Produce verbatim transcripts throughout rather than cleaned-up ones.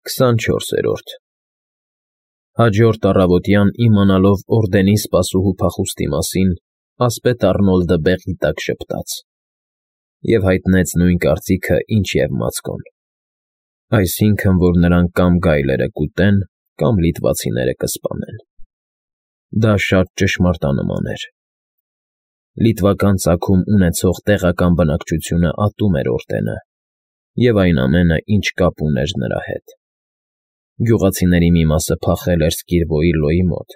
քսանչորսերորդ Հաջորդ առավոտյան, իմանալով օրդենի սպասուհու փախուստի մասին, ասպետ Առնոլդը բեղի տակ ժպտաց և հայտնեց նույն կարծիքը, ինչ և Մացկոն, այսինքն՝ որ նրան կամ գայլերը կուտեն, կամ լիտվացիները կսպանեն. դա շատ ճշմարտանման էր. լիտվական ծագում ունեցող տեղական բնակչությունը ատում էր օրդենը և այն ամենը, ինչ կապ ուներ նրա հետ. գյուղացիների մի մասը փախել էր Սկիրվոյի լոյի մոտ,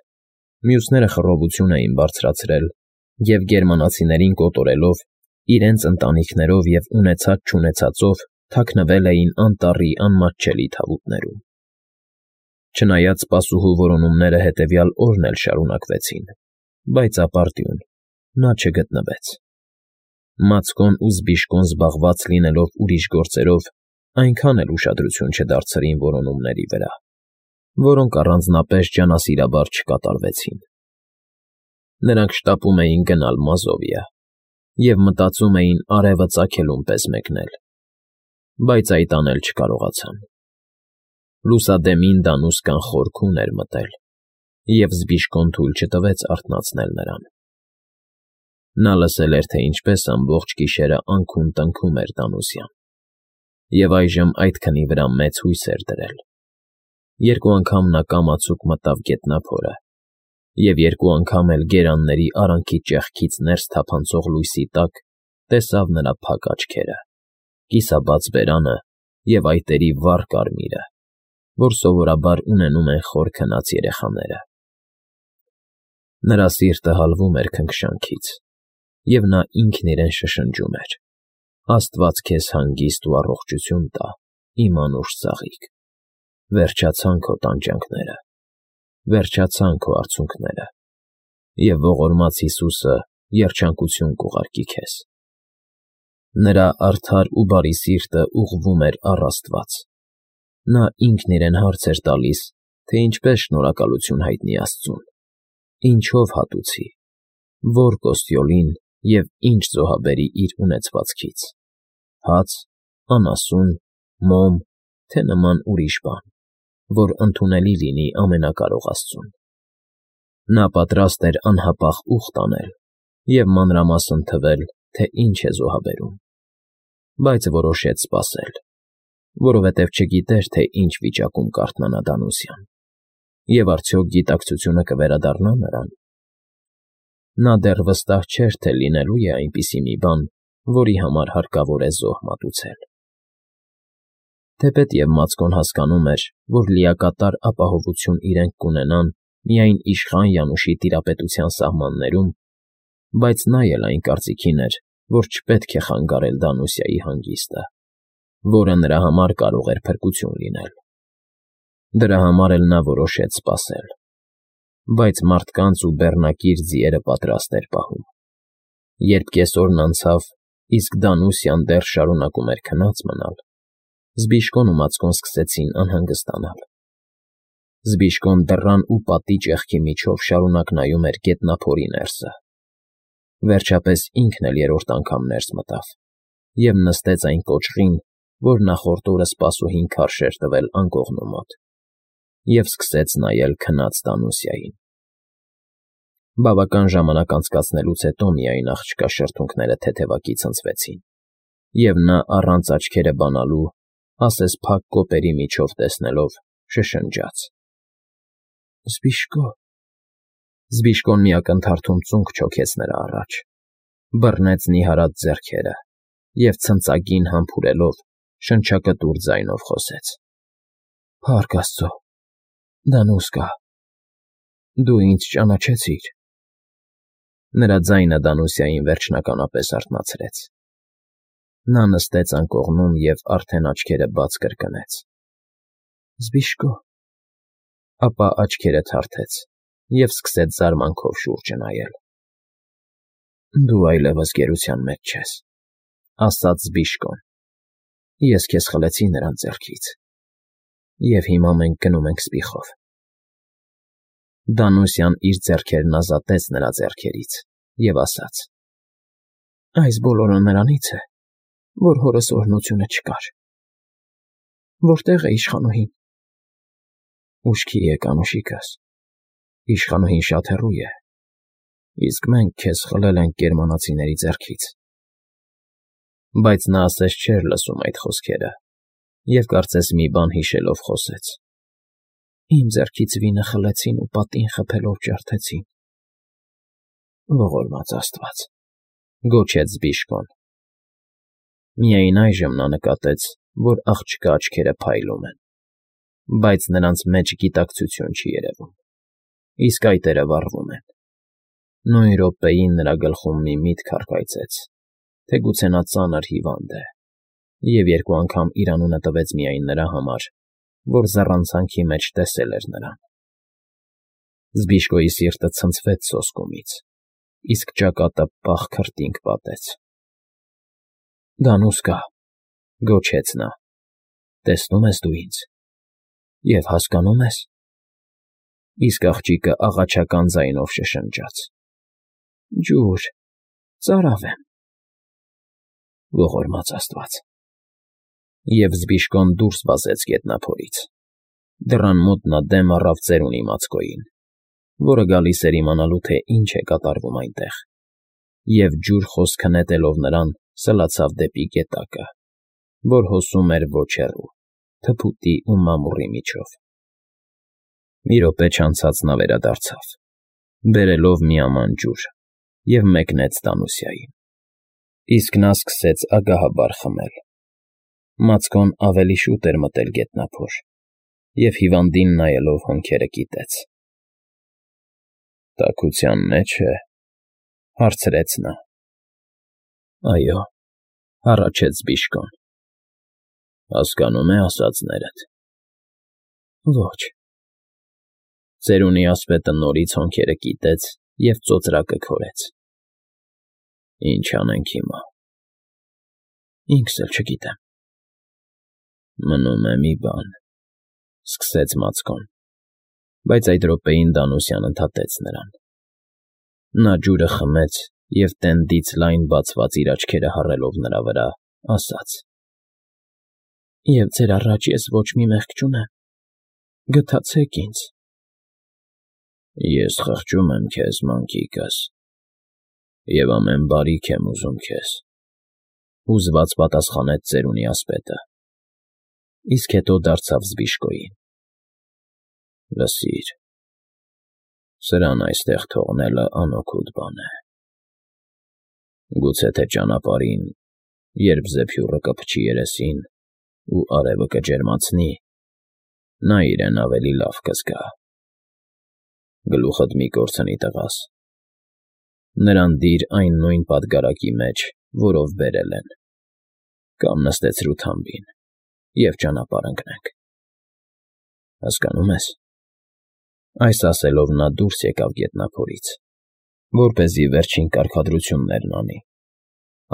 մյուսները խռովություն էին բարձրացրել և գերմանացիներին կոտորելով, իրենց ընտանիքներով և ունեցած֊չունեցածով թաքնվել էին անտառի անմատչելի թավուտներում։ Չնայած սպասուհու որոնումները հետևյալ օրն էլ շարունակվեցին, բայց ապարդյուն, նա չգտնվեց։ Մացկոն ու Զբիշկոն զբաղված լինելով ուրիշ գործերով, այնքան էլ ուշադրություն չդարձրին որոնումների վրա, որոնք առանձնապես ջանասիրաբար չկատարվեցին։ Նրանք շտապում էին գնալ Մազովիա և մտածում էին արևը ծագելուն պես մեկնել, բայց այդ անել չկարողացան։ Լուսադեմին դանուսկան խորքում էր մտել, և Զբիշկոն թույլ չտվեց արթնացնել նրան։ Նա լսել էր, թե ինչպես ամբողջ գիշերը անքուն տնքում էր Դանուսյան, և այժմ այդ քնի վրա մեծ հույս էր դրել։ Երկու անգամ նա կամացուկ մտավ գետնափորը, և երկու անգամ էլ գերանների արանքի ճեղքից ներս թափանցող լույսի տակ տեսավ նրա փակ աչքերը, կիսաբաց բերանը և այտերի վառ կարմիրը, որ սովորաբար ունենում են խոր քնած երեխաները։ Նրա սիրտը հալվում էր քնքշանքից, և նա ինքն իրեն շշնջում էր. «Աստված քեզ հանգիստ ու առողջություն տա, իմ անուշ ծաղիկ, վերջացան քո տանջանքները, վերջացան քո արցունքները, և ողորմած Հիսուսը երջանկություն կուղարկի քեզ»։ Նրա արդար ու բարի սիրտը ուղղվում էր առ Աստված։ Նա ինքն իրեն հարց էր տալիս, թե ինչպես շնորհակալություն հայտնի Աստծուն, ինչով հատուցի, ո՞ր կոստյոլին և ինչ զոհաբերի իր ունեցվածքից՝ հաց, անասուն, մոմ, թե նման ուրիշ բան, որ ընդունելի լինի Ամենակարող Աստծուն։ Նա պատրաստ էր անհապաղ ուխտ անել և մանրամասն թվել, թե ինչ է զոհաբերում, բայց որոշեց սպասել, որովհետև չգիտեր, թե ինչ վիճակում կարթնանա Դանուսյան, և արդյոք գիտակցությունը կվերադառնա նրան։ Նա դեռ վստահ չէր, թե լինելու է այնպիսի մի բան, որի համար հարկավոր է զոհ մատուցել։ Թեպետև Մացկոն հասկանում էր, որ լիակատար ապահովություն իրենք կունենան միայն իշխան Յանուշի տիրապետության սահմաններում, բայց նա էլ այն կարծիքին էր, որ չպետք է խանգարել Դանուսիայի հանգիստը, որը նրա համար կարող էր փրկություն լինել։ Դրա համար էլ նա որոշեց սպասել, բայց մարդկանց ու բեռնակիր ձիերը պատրաստ էր պահում։ Երբ կեսօրն անցավ, իսկ Դանուսյան դեռ շարունակում էր քնած մնալ, Զբիշկոն ու Մացկոն սկսեցին անհանգստանալ։ Զբիշկոն դռան ու պատի ճեղքի միջով շարունակ նայում էր գետնափորի ներսը։ Վերջապես ինքն էլ երրորդ անգամ ներս մտավ և նստեց այն կոճղին, որ նախորդ օրը սպասուհին քարշ էր տվել անկողնու մոտ, և սկսեց նայել քնած Դանուսիային։ Բավական ժամանակ անցկացնելուց հետո միայն աղջկա շրթունքները թեթևակի ցնցվեցին, և նա առանց աչքերը բանալու, ասես փակ կոպերի միջով տեսնելով, շշնջաց. «Զբիշկո»։ Զբիշկոն մի ակնթարթում ծունկ չոքեց նրա առաջ, բռնեց նիհարած ձեռքերը և ցնծագին համբուրելով շնչակտուր ձայնով խոսեց. «Փառք Աստծո, Դանուսկա, դու ինձ ճանաչեցի՞ր»։ Նրա ձայնը Դանուսիային վերջնականապես արթնացրեց։ Նա նստեց անկողնում և արդեն աչքերը բաց կրկնեց. «Զբիշկո», ապա աչքերը թարթեց և սկսեց զարմանքով շուրջը նայել։ «Դու այլևս գերության մեջ չես», ասաց Զբիշկոն։ «Ես քեզ խլեցի նրանց ձեռքից, և հիմա մենք գնում ենք Սպիխով»։ Դանուսյան իր ձեռքերն ազատեց նրա ձեռքերից և ասաց. «Այս բոլորը նրանից է, որ հորս օրհնությունը չկար»։ «Որտե՞ղ է իշխանուհին»։ Ուշքի եկ, անուշիկս, իշխանուհին շատ հեռու է, իսկ մենք քեզ խլել ենք գերմանացիների ձեռքից։ Բայց նա ասես չէր լսում այդ խոսքերը և կարծես մի բան հիշելով խոսեց. Իմ ձեռքից վինը խլեցին ու պատին խփելով ջարդեցին։ Ողորմած աստված, գոչեց Զբիշկոն։ Միայն այժմ նա նկատեց, որ աղջկա աչքերը փայլում են, բայց նրանց մեջ գիտակցություն չի երևում, իսկ այտերը վառվում են։ Նույն րոպեին նրա գլխում մի միտք առկայծեց, թե գուցե նա ծանր հիվանդ է, և երկու անգամ իր անունը տվեց միայն նրա համար, որ զառանցանքի մեջ տեսել էր նրան։ Զբիշկոյի սիրտը ցնցվեց սոսկումից, իսկ ճակատը պաղ քրտինք պատեց։ Գանուսկա, գոչեց նա, տեսնո՞ւմ ես դու ինձ և հասկանո՞ւմ ես։ Իսկ աղջիկը աղաչական ձայնով շշնջաց. Ջուր, ծարավ եմ։ Ողորմած աստված։ Եվ Զբիշկոն դուրս վազեց գետնափորից։ Դռան մոտ նա դեմ առավ ծերունի Մացկոյին, որը գալիս էր իմանալու, թե ինչ է կատարվում այնտեղ, և ջուր խոսքը նետելով նրան, սլացավ դեպի գետակը, որ հոսում էր ոչ հեռու, թփուտի ու մամուռի միջով։ Մի րոպե չանցած նա վերադարձավ, բերելով մի աման ջուր, և մեկնեց Տանուսիային, իսկ նա սկսեց ագահաբար խմել։ Մացկոն ավելի շուտ էր մտել գետնափոր և հիվանդին նայելով հոնքերը կիտեց։ Տաքության մե՞ջ է, հարցրեց նա։ Այո, հառաչեց Զբիշկոն։ Հասկանո՞ւմ է ասածներդ։ Ոչ։ Ծերունի ասպետը նորից հոնքերը կիտեց և ծոծրակը քորեց։ Ինչ անենք հիմա։ Ինքս էլ չգիտեմ։ Մնում է մի բան, սկսեց Մացկոն, բայց այդ րոպեին Դանուսյան ընդհատեց նրան։ Նա ջուրը խմեց և տենդից լայն բացված իր աչքերը հառելով նրա վրա, ասաց. Եվ ձեր առաջ ես ոչ մի մեղք չունեմ, գթացեք ինձ։ Ես խղճում եմ քեզ, մանկիկս, և ամեն բարիք եմ ուզում քեզ, հուզված պատասխանեց ծերունի ասպետը, իսկ հետո դարձավ Զբիշկոյին. Լսիր, սրան այստեղ թողնելը անօգուտ բան է։ Գուցե թե ճանապարհին, երբ զեփյուռը կփչի երեսին ու արևը կջերմացնի, նա իրեն ավելի լավ կզգա։ Գլուխդ մի կորցնի, տղաս, նրան դիր այն նույն պատգարակի մեջ, որով բերել են, կամ նստեցրու թամբին և ճանապարհ ընկնենք։ Հասկանո՞ւմ ես։ Այս ասելով նա դուրս եկավ գետնափորից, որպեսզի վերջին կարգադրություններն անի,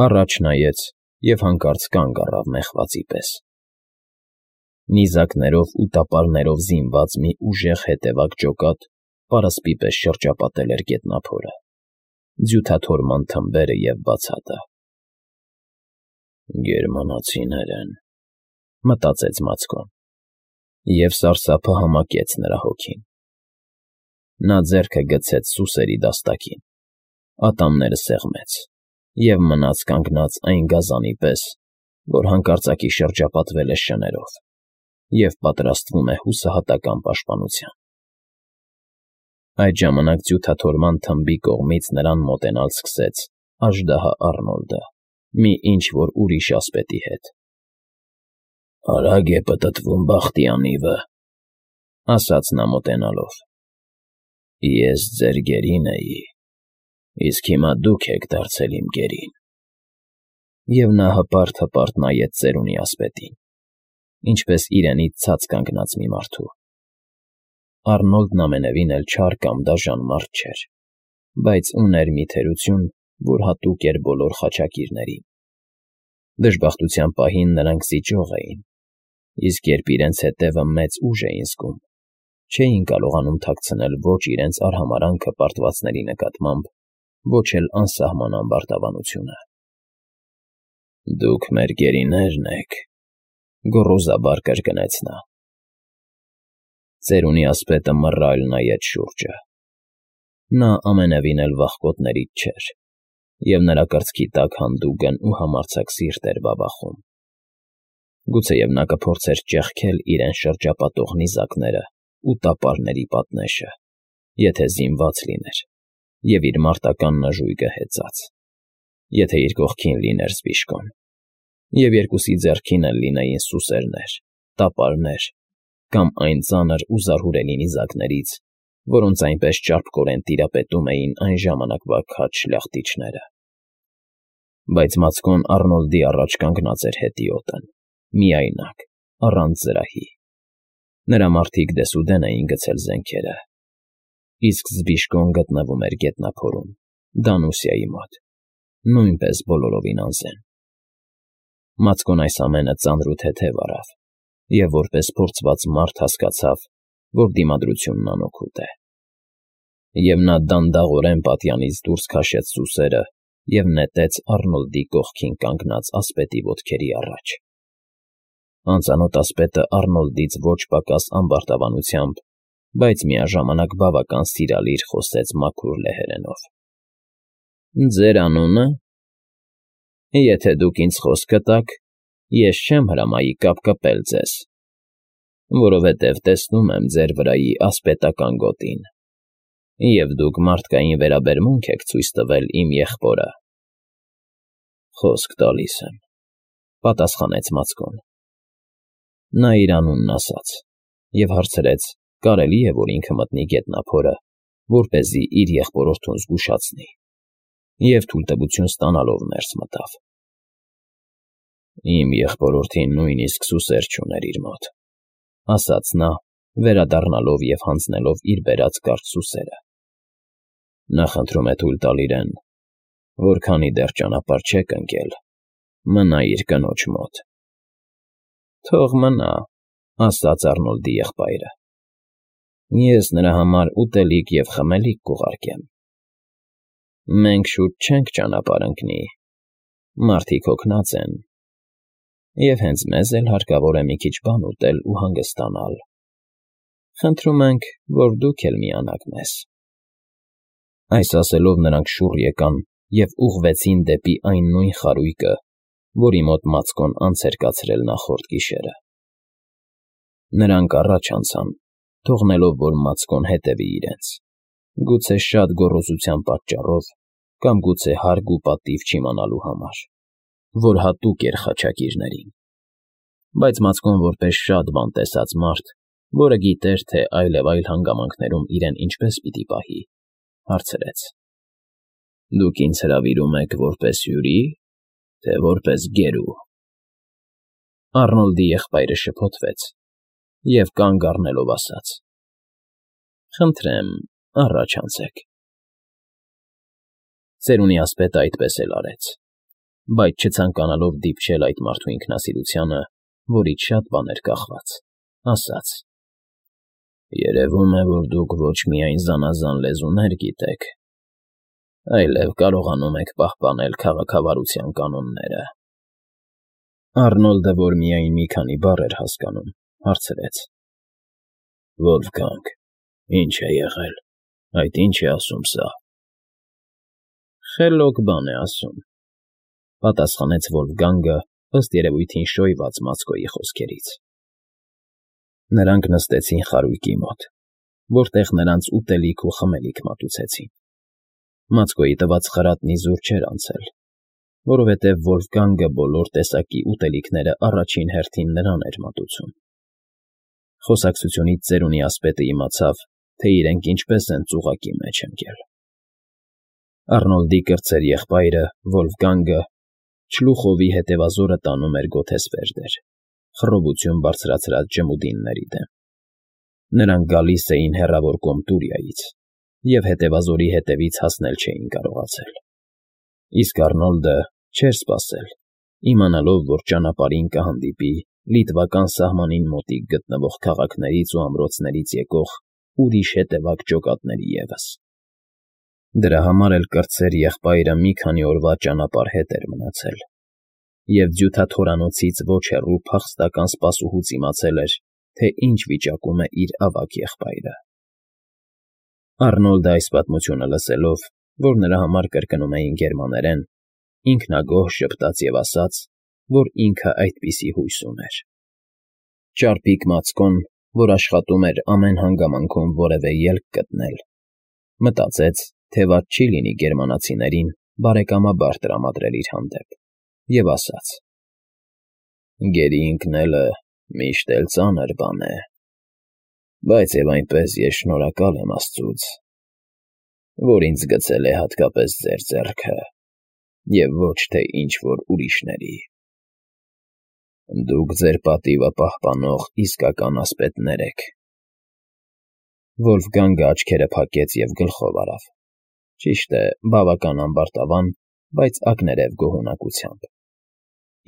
առաջ նայեց և հանկարծ կանգ առավ մեղվածի պես։ Նիզակներով ու տապարներով զինված մի ուժեղ հետևակ ջոկատ պարսպի պես շրջապատել էր գետնափորը, ձյութաթորման թմբերը և բացատը։ Գերմանացիներ են, մտածեց Մացկոն, և սարսափը համակեց նրա հոգին։ Նա ձեռքը գցեց սուսերի դաստակին, ատամները սեղմեց և մնաց կանգնած այն գազանի պես, որ հանկարծակի շրջապատվել է շներով և պատրաստվում է հուսահատական պաշտպանության։ Այդ ժամանակ ձյութաթորման թմբի կողմից նրան մոտենալ սկսեց աժդահա Առնոլդը մի ինչ֊որ ուրիշ ասպետի հետ։ Արագ է պտտվում բախտի անիվը, ասաց նա մոտենալով։ Ես ձեր գերին էի, իսկ հիմա դուք եք դարձել իմ գերին։ Եվ նա հպարտ֊հպարտ նայեց ծերունի ասպետին, ինչպես իրենից ցած կանգնած մի մարդու։ Առնոլդն ամենևին էլ չար կամ դաժան մարդ չէր, բայց ուներ մի թերություն, որ հատուկ էր բոլոր խաչակիրներին։ Դժբախտության պահին նրանք զիջող էին, իսկ երբ իրենց հետևը մեծ ուժ էին զգում, չէին կարողանում թաքցնել ոչ իրենց արհամարհանքը պարտվածների նկատմամբ, ոչ էլ անսահման ամբարտավանությունը։ Դուք մեր գերիներն եք, գոռոզաբար կրկնեց նա։ Ծերունի ասպետը մռայլ նայեց շուրջը։ Նա ամենևին էլ վախկոտներից չէր, և նրա կրծքի տակ հանդուգն ու համարձակ սիրտ էր բաբախում։ Գուցեև նա կփորձեր ճեղքել իրեն շրջապատող նիզակները ու տապարների պատնեշը, եթե զինված լիներ և իր մարտական նժույգը հեծած, եթե իր կողքին լիներ Զբիշկոն, և երկուսի ձեռքին էլ լինեին սուսերներ, տապարներ կամ այն ծանր ու զարհուրելի նիզակներից, որոնց այնպես ճարպկորեն տիրապետում էին այն ժամանակվա քաջ շլախտիչները։ Բայց Մացկոն Առնոլդի առաջ կանգնած էր հետիոտն, միայնակ, առանց զրահի։ Նրա մարդիկ դեսուդեն էին գցել զենքերը, իսկ Զբիշկոն գտնվում էր գետնափորում, Դանուսիայի մոտ, նույնպես բոլորովին անզեն։ Մացկոն այս ամենը ծանրութեթև առավ և որպես փորձված մարդ հասկացավ, որ դիմադրությունն անօգուտ է։ Եվ նա դանդաղորեն պատյանից դուրս քաշեց սուսերը և նետեց Առնոլդի կողքին կանգնած ասպետի ոտքերի առաջ։ Անծանոթ ասպետը Առնոլդից ոչ պակաս ամբարտավանությամբ, բայց միաժամանակ բավական սիրալիր խոսեց մաքուր լեհերենով. «Ձեր անունը։ Եթե դուք ինձ խոսքը տաք, ես չեմ հրամայի կապկպել ձեզ, որովհետև տեսնում եմ ձեր վրայի ասպետական գոտին, և դուք մարդկային վերաբերմունք եք ցույց տվել իմ եղբորը»։ «Խոսք տալիս եմ,֊ պատասխանեց Մացկոն։ Նա իր անունն ասաց և հարցրեց՝ կարելի՞ է, որ ինքը մտնի գետնափորը, որպեսզի իր եղբորորդուն զգուշացնի, և թույլտվություն ստանալով ներս մտավ։ «Իմ եղբորորդին նույնիսկ սուսեր չուներ իր մոտ,֊ ասաց նա, վերադառնալով և հանձնելով իր բերած կարճ սուսերը։ Նա խնդրում է թույլ տալ իրեն, որ քանի դեռ ճանապարհ չեք ընկել, մնա իր կնոջ մոտ»։ «Թող մնա,֊ ասաց Առնոլդի եղբայրը։ Ես նրա համար ուտելիք և խմելիք կուղարկեմ։ Մենք շուտ չենք ճանապարհ ընկնի, մարդիկ հոգնած են, և հենց մեզ էլ հարկավոր է մի քիչ բան ուտել ու հանգստանալ։ Խնդրում ենք, որ դուք էլ միանաք մեզ»։ Այս ասելով նրանք շուռ եկան և ուղղվեցին դեպի այն նույն խարույկը, որի մոտ Մացկոն անց էր կացրել նախորդ գիշերը։ Նրանք առաջ անցան, թողնելով, որ Մացկոն հետևի իրենց, գուցե շատ գոռոզության պատճառով կամ գուցե հարկ ու պատիվ չիմանալու համար, որ հատուկ էր խաչակիրներին։ Բայց Մացկոն որպես շատ բան տեսած մարդ, որը գիտեր, թե այլևայլ հանգամանքներում իրեն ինչպես պիտի պահի, հարցրեց. «Դուք ինձ հրավիրում եք որպես հյուրի, թե որպես գերու»։ Առնոլդի եղբայրը շփոթվեց և կանգ առնելով ասաց. «Խնդրեմ, առաջ անցեք»։ Ծերունի ասպետը այդպես էլ արեց, բայց չցանկանալով դիպչել այդ մարդու ինքնասիրությանը, որից շատ բան էր կախված, ասաց. «Երևում է, որ դուք ոչ միայն զանազան լեզուներ գիտեք, այլև կարողանում եք պահպանել քաղաքավարության կանոնները»։ Առնոլդը, որ միայն մի քանի բառ էր հասկանում, հարցրեց. «Վոլֆգանգ, ի՞նչ է եղել, այդ ի՞նչ է ասում սա»։ «Խելոք բան է ասում,֊ պատասխանեց Վոլֆգանգը, ըստ երևույթին շոյված Մացկոյի խոսքերից։ Նրանք նստեցին խարույկի մոտ, որտեղ նրանց ուտելիք ու խմելիք մատուցեցին։ Մացկոյի տված խրատն իզուր չէր անցել, որովհետև Վոլֆգանգը բոլոր տեսակի ուտելիքները առաջին հերթին նրան էր մատուցում։ Խոսակցությունից ծերունի ասպետը իմացավ, թե իրենք ինչպես են ծուղակի մեջ ընկել։ Առնոլդի կրտսեր եղբայրը՝ Վոլֆգանգը, Չլուխովի հետևազորը տանում էր Գոթեսվերդեր, խռովություն բարձրացրած ջմուդինների դեմ։ Նրանք գալիս էին հեռավոր Կոմտուրիայից և հետևազորի հետևից հասնել չէին կարողացել։ Իսկ Առնոլդը չէր սպասել, իմանալով, որ ճանապարհին կհանդիպի լիտվական սահմանին մոտիկ գտնվող քաղաքներից ու ամրոցներից եկող ուրիշ հետևակ ջոկատների ևս։ Դրա համար էլ կրտսեր եղբայրը մի քանի օրվա ճանապարհ հետ էր մնացել, և ձյութաթորանոցից ոչ հեռու փախստական սպասուհուց իմացել էր, թե ինչ վիճակում է իր ավագ եղբայրը։ Առնոլդը այս պատմությունը լսելով, որ նրա համար կրկնում էին գերմաներեն, ինքնագոհ ժպտաց և ասաց, որ ինքը այդպիսի հույս ուներ։ Ճարպիկ Մացկոն, որ աշխատում էր ամեն հանգամանքում որևէ ելք գտնել, մտածեց, թե վատ չի լինի գերմանացիներին բարեկամաբար տրամադրել իր հանդեպ, և ասաց. «Գերի ընկնելը միշտ էլ ծանր բան է, բայց և այնպես ես շնորհակալ եմ աստծուց, որ ինձ գցել է հատկապես ձեր ձեռքը և ոչ թե ինչ֊որ ուրիշների։ Դուք ձեր պատիվը պահպանող իսկական ասպետներ եք»։ Վոլֆգանգը աչքերը փակեց և գլխով արավ, ճիշտ է, բավական ամբարտավան, բայց ակներև գոհունակությամբ,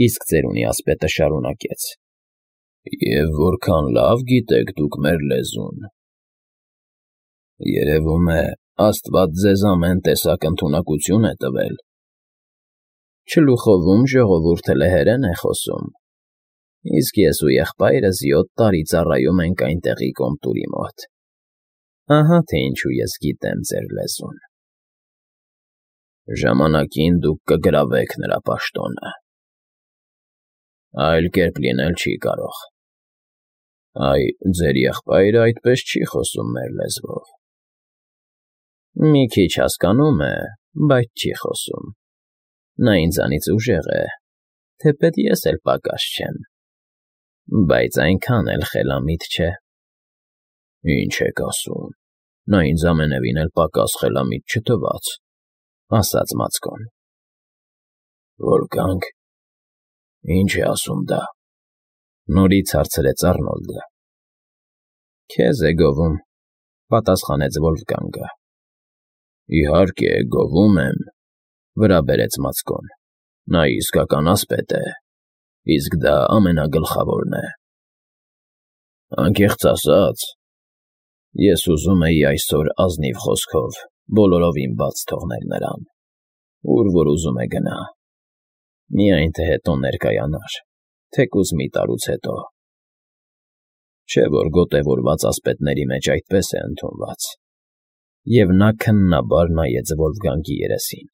իսկ ծերունի ասպետը շարունակեց. «Եվ որքան լավ գիտեք դուք մեր լեզուն։ Երևում է, աստված ձեզ ամեն տեսակ ընդունակություն է տվել»։ Չլուխովում ժողովուրդը լեհերեն է խոսում, իսկ ես ու եղբայրս յոթ տարի ծառայում ենք այնտեղի կոմտուրի մոտ, ահա թե ինչու ես գիտեմ ձեր լեզուն։ Ժամանակին դուք կգրավեք նրա պաշտոնը։ Այլ կերպ լինել չի կարող։ Այ ձեր եղբայրը այդպես չի խոսում մեր լեզվով։ Մի քիչ հասկանում է, բայց չի խոսում։ Նա ինձանից ուժեղ է, թեպետ ես էլ պակաս չեմ, բայց այնքան էլ խելամիտ չէ։ Ինչ եք ասում, նա ինձ ամենևին էլ պակաս խելամիտ չթվաց, ասաց Մացկոն։ Վոլֆգանգ, ի՞նչ է ասում դա, նորից հարցրեց Առնոլդը։ Քեզ է գովում, պատասխանեց Վոլֆգանգը։ Իհարկե, գովում եմ, վրա բերեց Մացկոն, նա իսկական ասպետ է, իսկ դա ամենագլխավորն է։ Անկեղծ ասած, ես ուզում էի այսօր ազնիվ խոսքով բոլորովին բաց թողնել նրան, ուր որ ուզում է գնա, միայն թե հետո ներկայանար, թեկուզ մի տարուց հետո։ Չէ՞ որ գոտևորված ասպետների մեջ այդպես է ընդունված։ Եվ նա քննաբար նայեց Վոլֆգանգի երեսին։